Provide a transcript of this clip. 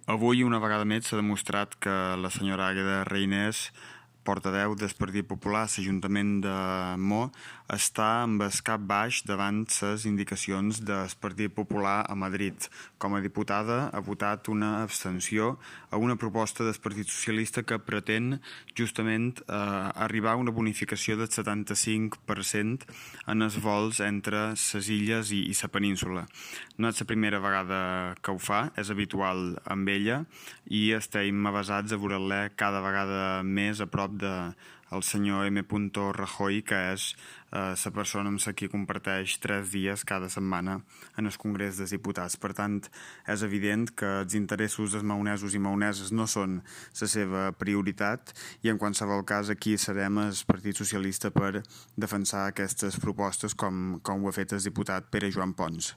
Avui, una vegada més, s'ha demostrat que la senyora Àgueda Reynés, portaveu del Partit Popular a l'Ajuntament de Mo, està amb el cap baix davant les indicacions del Partit Popular a Madrid. Com a diputada ha votat una abstenció a una proposta del Partit Socialista que pretén justament arribar a una bonificació del 75% en els vols entre les illes i la península. No és la primera vegada que ho fa, és habitual amb ella i estem avasats a veure-la cada vegada més a prop del senyor M. Rajoy, que és la persona amb qui comparteix 3 dies cada setmana en el Congrés dels Diputats. Per tant, és evident que els interessos dels maonesos i maoneses no són la seva prioritat i en qualsevol cas aquí serem el Partit Socialista per defensar aquestes propostes com ho ha fet el diputat Pere Joan Pons.